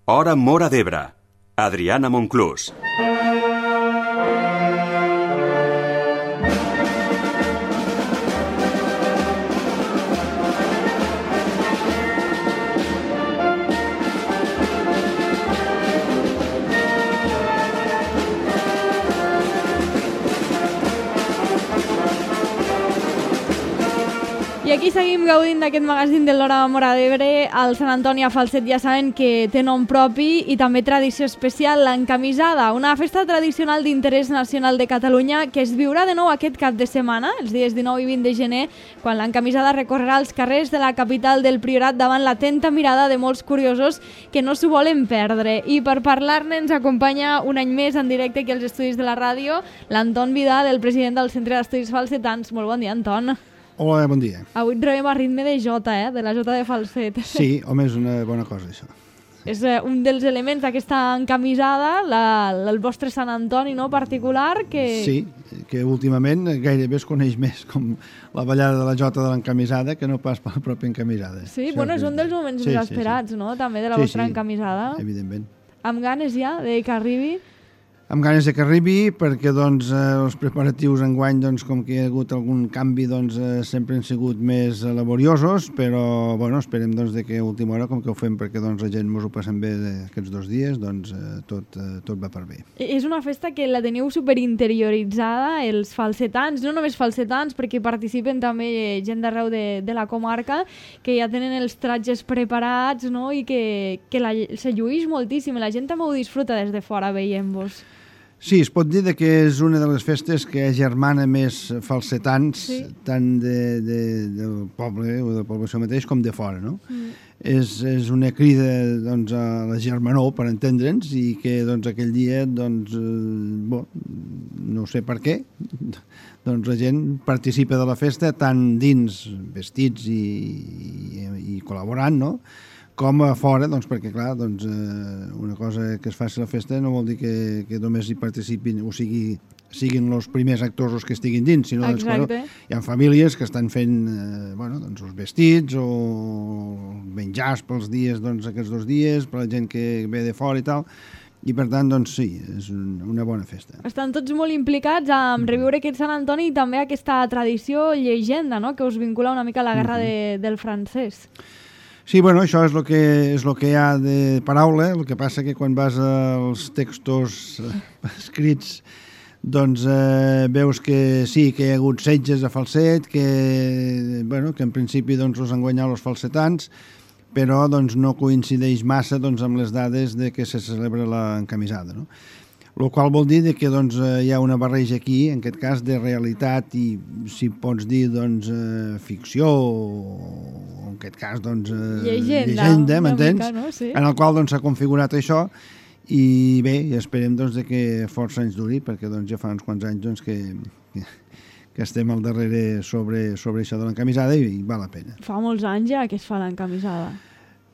Hora Móra d'Ebre. Adriana Monclús. I aquí seguim gaudint d'aquest magazín de l'Hora Móra d'Ebre. El Sant Antoni a Falset ja saben que té nom propi i també tradició especial, l'encamisada, una festa tradicional d'interès nacional de Catalunya que es viurà de nou aquest cap de setmana, els dies 19 i 20 de gener, quan l'encamisada recorrerà els carrers de la capital del Priorat davant l'atenta mirada de molts curiosos que no s'ho volen perdre. I per parlar-ne ens acompanya un any més en directe aquí als estudis de la ràdio l'Anton Vidal, el president del Centre d'Estudis Falsetans. Molt bon dia, Anton. Hola, bon dia. Avui et trobem a ritme de jota, de la jota de falset. Sí, home, és una bona cosa, això. És un dels elements d'aquesta encamisada, el vostre Sant Antoni, no?, particular, que... Sí, que últimament gairebé es coneix més com la ballada de la jota de l'encamisada que no pas per la pròpia encamisada. Sí, bueno, és un dels moments més esperats, no?, també de la vostra encamisada. Evidentment. Amb ganes ja de que arribi? Amb ganes de que arribi, perquè doncs, els preparatius enguany, doncs, com que hi ha hagut algun canvi, doncs, sempre han sigut més laboriosos, però bueno, esperem doncs, de que a última hora, com que ho fem perquè doncs, la gent ens ho passem bé aquests 2 dies, doncs, tot va per bé. És una festa que la teniu superinterioritzada, els falsetans, no només falsetans, perquè participen també gent d'arreu de la comarca, que ja tenen els tratges preparats, no?, i que se llueix moltíssim, la gent també ho disfruta des de fora veient-vos. Sí, es pot dir que és una de les festes que agermana més falsetans, sí, tant del poble o de la població mateix com de fora, no? És una crida doncs, a la germanor, per entendre'ns, i que doncs, aquell dia, doncs, no sé per què, doncs la gent participa de la festa tant dins vestits i col·laborant, no?, com a fora, doncs, perquè, clar, doncs, una cosa que es faci la festa no vol dir que només hi participin, o sigui, siguin els primers actors els que estiguin dins, sinó doncs, bueno, hi ha famílies que estan fent doncs, els vestits o menjars pels dies, doncs, aquests 2 dies, per la gent que ve de fora i tal, i per tant, doncs sí, és una bona festa. Estan tots molt implicats en reviure aquest Sant Antoni i també aquesta tradició llegenda, no?, que us vincula una mica a la guerra del francès. Sí, bueno, això és el que hi ha de paraula, el que passa que quan vas als textos escrits doncs veus que sí, que hi ha hagut setges a Falset, que en principi doncs, els han guanyat els falsetans, però doncs, no coincideix massa doncs, amb les dades de que se celebra l'encamisada, no? El qual vol dir que doncs, hi ha una barreja aquí, en aquest cas, de realitat i, si pots dir, doncs, ficció o, en aquest cas, doncs, llegenda, m'entens? No? Sí. En el qual doncs, s'ha configurat això i bé, esperem doncs, que força anys duri, perquè doncs, ja fa uns quants anys doncs, que estem al darrere sobre això de l'encamisada i val la pena. Fa molts anys ja que es fa l'encamisada.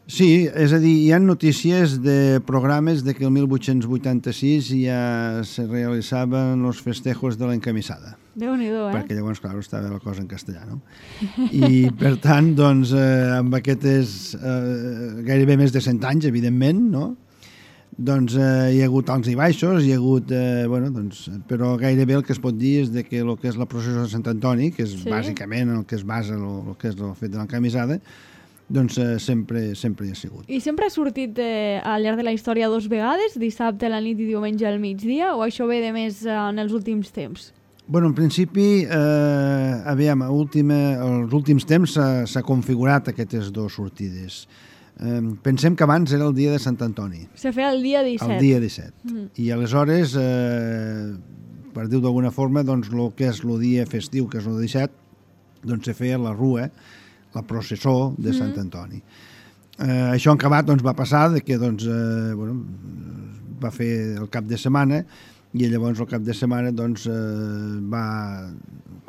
Sí, és a dir, hi ha notícies de programes de que el 1886 ja se realitzaven els festejos de l'encamisada. Déu-n'hi-do, Perquè llavors, clar, estava la cosa en castellà, no? I, per tant, doncs, amb aquestes gairebé més de 100 anys, evidentment, no? Doncs hi ha hagut alts i baixos, hi ha hagut, doncs, però gairebé el que es pot dir és que el que és la processó de Sant Antoni, que és bàsicament el que es basa el que és el fet de l'encamisada, doncs sempre hi ha sigut. I sempre ha sortit al llarg de la història 2 vegades, dissabte a la nit i diumenge al migdia, o això ve de més en els últims temps? Bueno, en principi, aviam, els últims temps s'ha configurat aquestes 2 sortides. Pensem que abans era el dia de Sant Antoni. Se feia el dia 17. El dia 17. I aleshores, per dir-ho d'alguna forma, doncs el que és el dia festiu, que és el 17, doncs se feia la rua, la processó de Sant Antoni. Això en acabat doncs, va passar que doncs, va fer el cap de setmana i llavors el cap de setmana doncs, va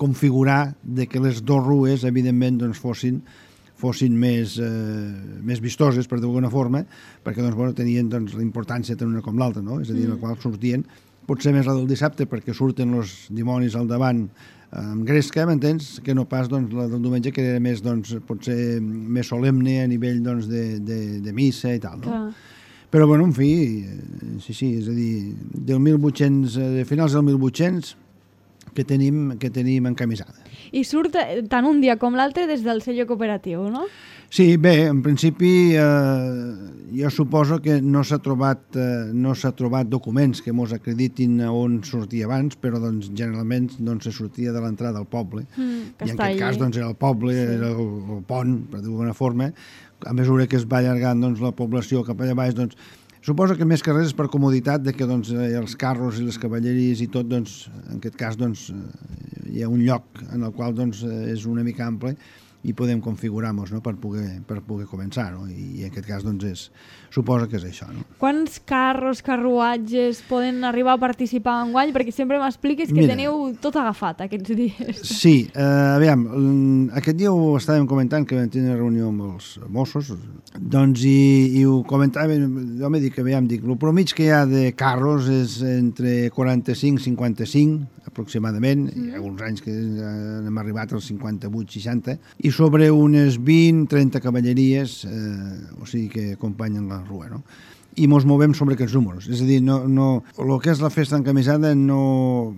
configurar que les 2 rues evidentment doncs, fossin més vistoses, per d'alguna forma, perquè doncs, tenien doncs, la importància tant una com l'altra, no? És a dir, en la qual sortien, potser més la del dissabte perquè surten els dimonis al davant amb gresca, m'entens? Que no pas doncs, la del diumenge, que era més, doncs, potser més solemne a nivell doncs, de missa i tal, no? Però, bueno, en fi, sí, és a dir, de finals del 1800 que tenim encamisada. I surt tant un dia com l'altre des del sello cooperatiu, no? Sí, bé, en principi jo suposo que no s'ha trobat documents que mos acreditin on sortia abans, però doncs, generalment se sortia de l'entrada al poble. I en aquest cas doncs, era el poble, era el pont, per dir-ho d'alguna forma. A mesura que es va allargant doncs, la població cap allà baix, doncs, suposo que més que res és per comoditat de que doncs, els carros i les cavalleries i tot, doncs, en aquest cas doncs, hi ha un lloc en el qual doncs, és una mica ample i podem configurar-nos, no? per poder començar, no? I en aquest cas doncs, suposo que és això. No? Quants carruatges poden arribar a participar enguany? Perquè sempre m'expliques que teniu tot agafat aquests dies. Sí, aviam, aquest dia ho estàvem comentant, que vam tenir reunió amb els Mossos, doncs, i ho comentàvem, jo m'he dit que, aviam, el promig que hi ha de carros és entre 45 i 55, aproximadament, hi ha alguns anys que hem arribat als 58-60, i sobre unes 20-30 cavalleries, o sigui que acompanyen la rua, no? I mos movem sobre aquests números. És a dir, el que és la festa encamisada no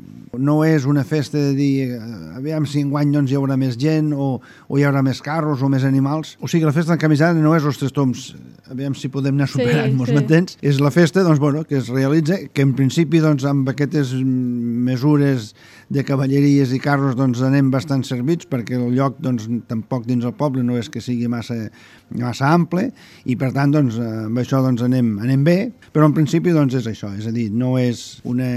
és una festa de dir aviam si enguany doncs, hi haurà més gent o hi haurà més carros o més animals. O sigui, la festa encamisada no és els tres toms, aviam si podem anar superant-nos, m'entens? És la festa doncs, bueno, que es realitza, que en principi doncs, amb aquestes mesures de cavalleries i carros doncs, anem bastant servits perquè el lloc doncs, tampoc dins el poble no és que sigui massa ample i per tant doncs, amb això doncs, anem bé, però en principi doncs, és això, és a dir, no és una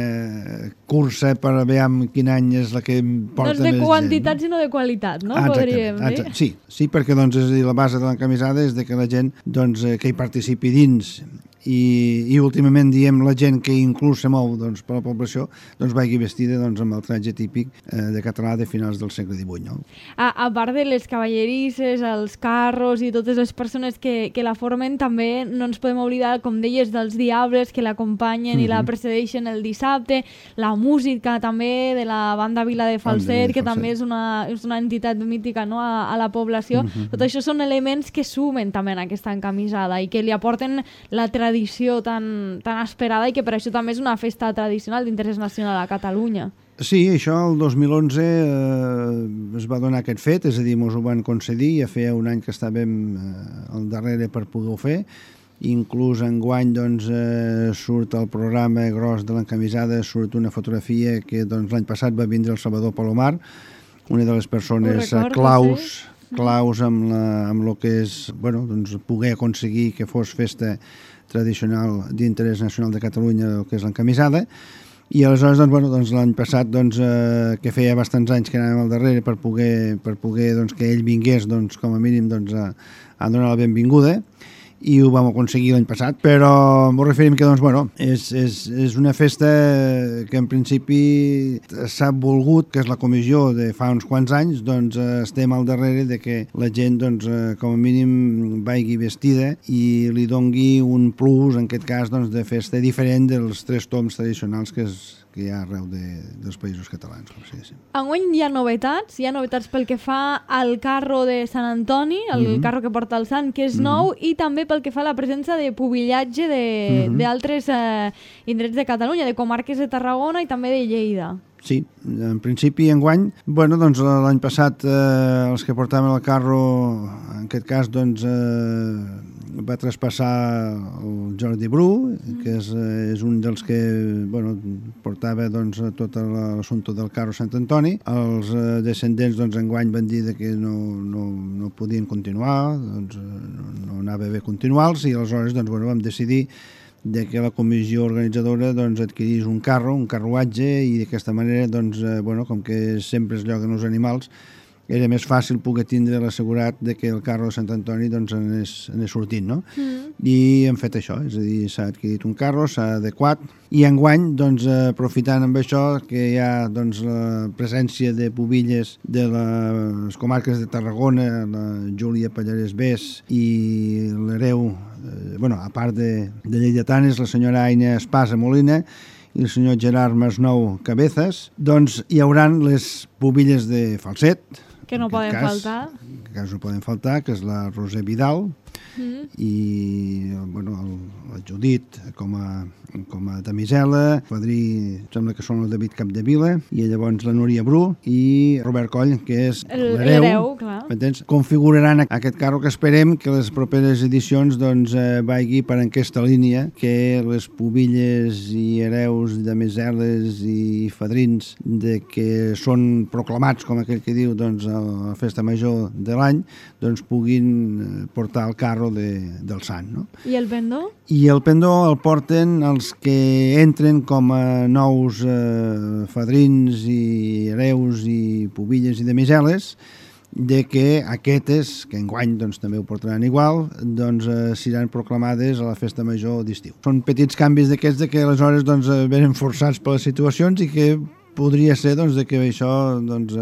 cursa per veure quin any és la que porta més gent. No és de quantitat sinó de qualitat, no? Podríem dir. Sí, perquè doncs, és a dir, la base de l'encamisada és de que la gent doncs, que hi participi dins i últimament diem la gent que inclús se mou doncs, per la població doncs vagi vestida doncs, amb el traje típic de català de finals del segle XVIII. No? A part de les cavallerisses, els carros i totes les persones que la formen, també no ens podem oblidar, com deies, dels diables que l'acompanyen i la precedeixen el dissabte, la música també de la banda Vila de Falset, que també és una entitat mítica, no? a la població. Tot això són elements que sumen també en aquesta encamisada i que li aporten la tradició tan esperada i que per això també és una festa tradicional d'interès nacional a Catalunya. Sí, això el 2011 es va donar aquest fet, és a dir, ens ho van concedir, ja feia un any que estàvem al darrere per poder-ho fer, inclús enguany doncs, surt el programa gros de l'encamisada, surt una fotografia que doncs, l'any passat va vindre el Salvador Palomar, una de les persones claus amb el que és doncs, poder aconseguir que fos festa tradicional d'interès nacional de Catalunya, el que és l'encamisada, i aleshores doncs, l'any passat que feia bastants anys que anàvem al darrere per poder doncs, que ell vingués com a mínim a donar la benvinguda, i ho vam aconseguir l'any passat, però ens referim que és una festa que en principi s'ha volgut, que és la comissió de fa uns quants anys, estem al darrere de que la gent com a mínim vagi vestida i li dongui un plus, en aquest cas de festa diferent dels tres toms tradicionals que hi ha arreu dels països catalans. Enguany hi ha novetats pel que fa al carro de Sant Antoni, el carro que porta el sant, que és nou, i també pel que fa a la presència de pubillatge d'altres indrets de Catalunya, de comarques de Tarragona i també de Lleida. Sí, en principi enguany, l'any passat els que portaven el carro, en aquest cas va traspassar el Jordi Bru, que és un dels que portava tot l'assumpte del carro Sant Antoni. Els descendents enguany van dir que no podien continuar, no anava bé continuar-los, i aleshores vam decidir que la comissió organitzadora adquirís un carruatge, i d'aquesta manera, com que sempre es lloguen els animals, era més fàcil poder tindre l'assegurat que el carro de Sant Antoni anés sortint, no? I hem fet això, és a dir, s'ha adquirit un carro, s'ha adequat, i enguany, aprofitant amb això, que hi ha la presència de pubilles de les comarques de Tarragona, la Júlia Pallarès Bés i l'hereu, a part de lleidatanes, la senyora Aina Espasa Molina i el senyor Gerard Masnou Cabezas, hi hauran les pubilles de Falset, Que no poden faltar. Que no poden faltar, que és la Roser Vidal, i bueno, el Judit com a damisela, Fadrí sembla que són el David Capdevila, i llavors la Núria Bru i Robert Coll, que és l'hereu. Configuraran aquest carro, que esperem que les properes edicions doncs, vagi per aquesta línia, que les pubilles i hereus, damiseles i fadrins de que són proclamats, com aquell que diu, doncs, a la festa major de l'any, doncs puguin portar el carro del sant. No? I el pendó? I el pendó el porten els que entren com a nous fadrins i hereus i pubilles i damiseles, de que aquestes, que enguany doncs, també ho portaran igual, doncs seran proclamades a la festa major d'estiu. Són petits canvis d'aquests que aleshores doncs, venen forçats per les situacions i que podria ser doncs, de que això doncs,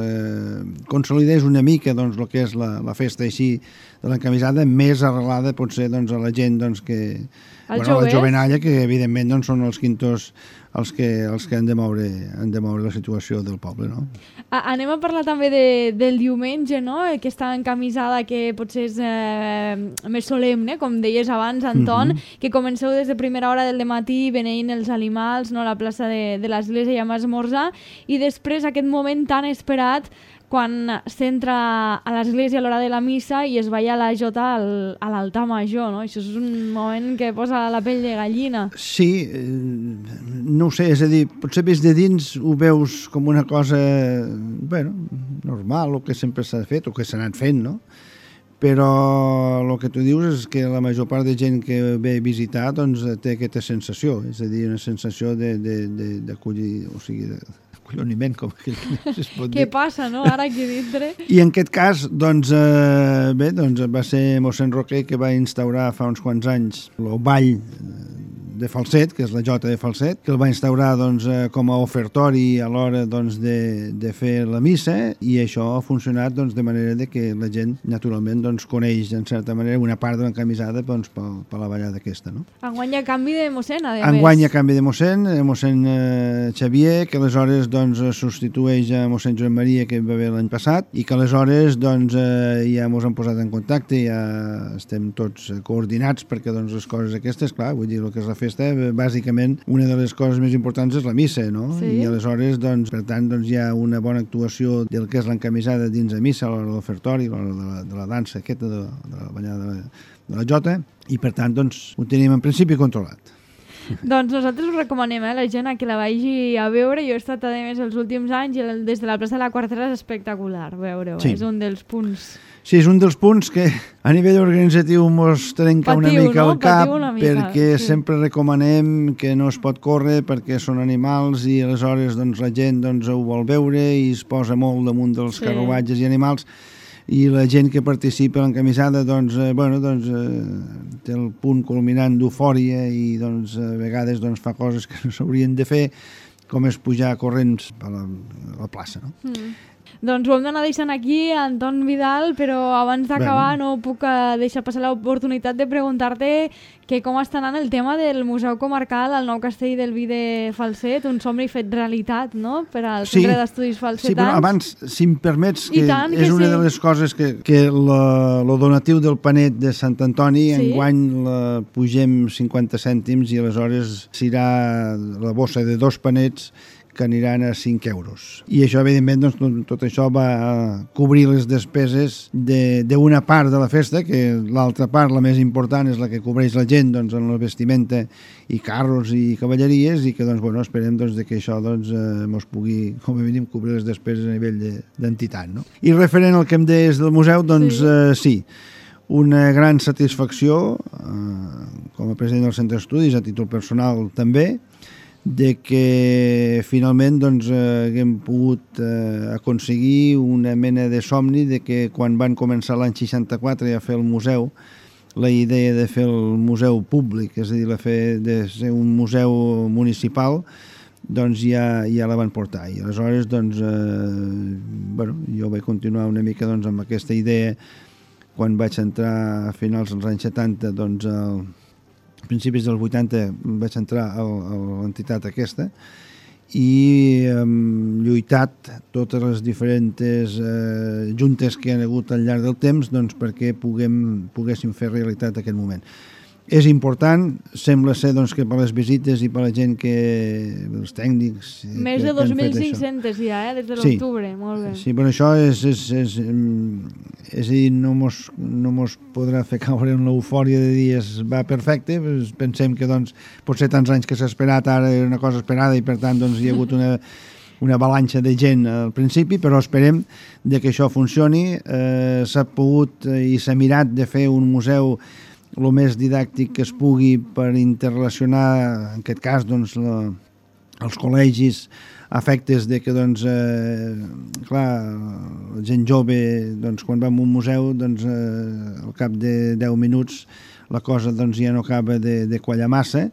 consolidés una mica doncs, el que és la festa així de l'encamisada, més arrelada potser doncs, a la gent doncs, que... la jovenalla, que evidentment doncs, són els quintos els que han de moure la situació del poble. No? Anem a parlar també del diumenge, no? Aquesta encamisada que potser és més solemne, com deies abans, Anton, que comenceu des de primera hora del matí beneint els animals, no? A la plaça de l'església i amb esmorzar, i després aquest moment tan esperat quan s'entra a l'església a l'hora de la missa i es balla la jota a l'altar major, no? Això és un moment que posa la pell de gallina. Sí, no ho sé, és a dir, potser vist de dins ho veus com una cosa, bueno, normal, o que sempre s'ha fet, o que s'ha anat fent, no? Però el que tu dius és que la major part de gent que ve a visitar doncs, té aquesta sensació, és a dir, una sensació d'acollir, o sigui, colloniment, com aquell que es pot dir. Què passa, no?, ara aquí dintre. I en aquest cas, doncs, bé, doncs va ser mossèn Roquer que va instaurar fa uns quants anys el ball de falset, que és la jota de falset, que el va instaurar doncs, com a ofertori a l'hora doncs, de fer la missa, i això ha funcionat doncs, de manera de que la gent naturalment doncs, coneix en certa manera una part de l'encamisada doncs, per la ballada aquesta. No? Enguany hi ha canvi de mossèn, a més. Enguany hi ha canvi de mossèn Xavier, que aleshores doncs, substitueix a mossèn Joan Maria, que va haver l'any passat, i que aleshores doncs, ja ens hem posat en contacte, ja estem tots coordinats perquè doncs, les coses aquestes, clar, vull dir, el que és la festa, bàsicament una de les coses més importants és la missa, no? Sí. I aleshores, doncs, per tant, doncs, hi ha una bona actuació del que és l'encamisada dins de missa, a l'hora del ofertori, a l'hora de la dansa aquesta, de la ballada de la jota, i per tant, doncs, ho tenim en principi controlat. Doncs nosaltres us recomanem la gent a que la vagi a veure. Jo he estat a més els últims anys i des de la plaça de la Quartera és espectacular veure-ho. Sí. És un dels punts. Sí, és un dels punts que a nivell organitzatiu mos trenca una mica el cap, perquè sempre recomanem que no es pot córrer perquè són animals i aleshores doncs, la gent doncs, ho vol veure i es posa molt damunt dels carruatges i animals, i la gent que participa en l'encamisada doncs, té el punt culminant d'eufòria i doncs, a vegades doncs, fa coses que no s'haurien de fer, com és pujar corrents a la plaça. No? Doncs ho hem d'anar deixant aquí, Anton Vidal, però abans d'acabar no puc deixar passar l'oportunitat de preguntar-te que com està anant el tema del Museu Comarcal al Nou Castell del Vi de Falset, un somni fet realitat, no?, per al Centre d'Estudis Falsetans. Sí, però abans, si em permets, que és una de les coses que el donatiu del panet de Sant Antoni, enguany la pugem 50 cèntims i aleshores serà la bossa de 2 panets que aniran a 5 euros. I això, evidentment, doncs, tot això va cobrir les despeses d'una part de la festa, que l'altra part, la més important, és la que cobreix la gent doncs, en la vestimenta i carros i cavalleries, i que doncs, bueno, esperem doncs, que això doncs, mos pugui, com a mínim, cobrir les despeses a nivell d'entitat. No? I referent al que em deies del museu, doncs sí, una gran satisfacció com a president del Centre d'Estudis, a títol personal també, de que finalment doncs, haguem pogut aconseguir una mena de somni de que quan van començar l'any 64 a fer el museu, la idea de fer el museu públic, és a dir, de ser un museu municipal, doncs ja la van portar. I aleshores doncs, jo vaig continuar una mica doncs, amb aquesta idea quan vaig entrar a finals dels anys 70, doncs a principis dels 80 vaig entrar a l'entitat aquesta, i hem lluitat totes les diferents juntes que han hagut al llarg del temps doncs, perquè poguéssim fer realitat aquest moment. És important, sembla ser doncs, que per les visites i per la gent els tècnics... Més de 2.500 ja, des de l'octubre, molt bé. Sí, però això és a dir, no mos podrà fer caure en l'eufòria de dir va perfecte, pensem que doncs, potser tants anys que s'ha esperat, ara era una cosa esperada i per tant doncs, hi ha hagut una avalanxa de gent al principi, però esperem que això funcioni. S'ha pogut i s'ha mirat de fer un museu el més didàctic que es pugui per interrelacionar, en aquest cas, doncs, els col·legis a efectes de que, doncs, clar, la gent jove, doncs, quan va a un museu, doncs, al cap de 10 minuts la cosa doncs, ja no acaba de quallar massa,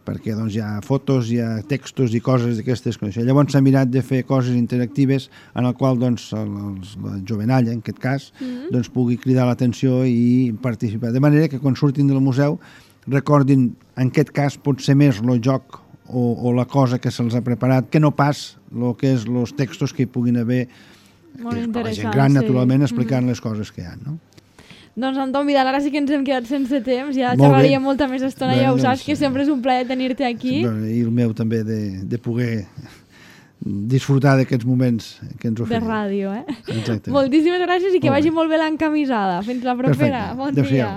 perquè doncs, hi ha fotos, hi ha textos i coses d'aquestes. Llavors s'ha mirat de fer coses interactives en el qual doncs, la jovenalla, en aquest cas, doncs, pugui cridar l'atenció i participar. De manera que quan surtin del museu recordin, en aquest cas, pot ser més el joc o la cosa que se'ls ha preparat, que no pas el que és els textos que hi puguin haver, la gent gran, naturalment, explicant les coses que hi ha, no? Doncs, Anton Vidal, ara sí que ens hem quedat sense temps, ja xerraríem molta més estona, ja ho saps, que sempre és un plaer tenir-te aquí. I el meu també, de poder disfrutar d'aquests moments que ens oferim. De ràdio, eh? Exacte. Moltíssimes gràcies i que vagi molt bé l'encamisada. Fins la propera. Perfecte. Bon dia.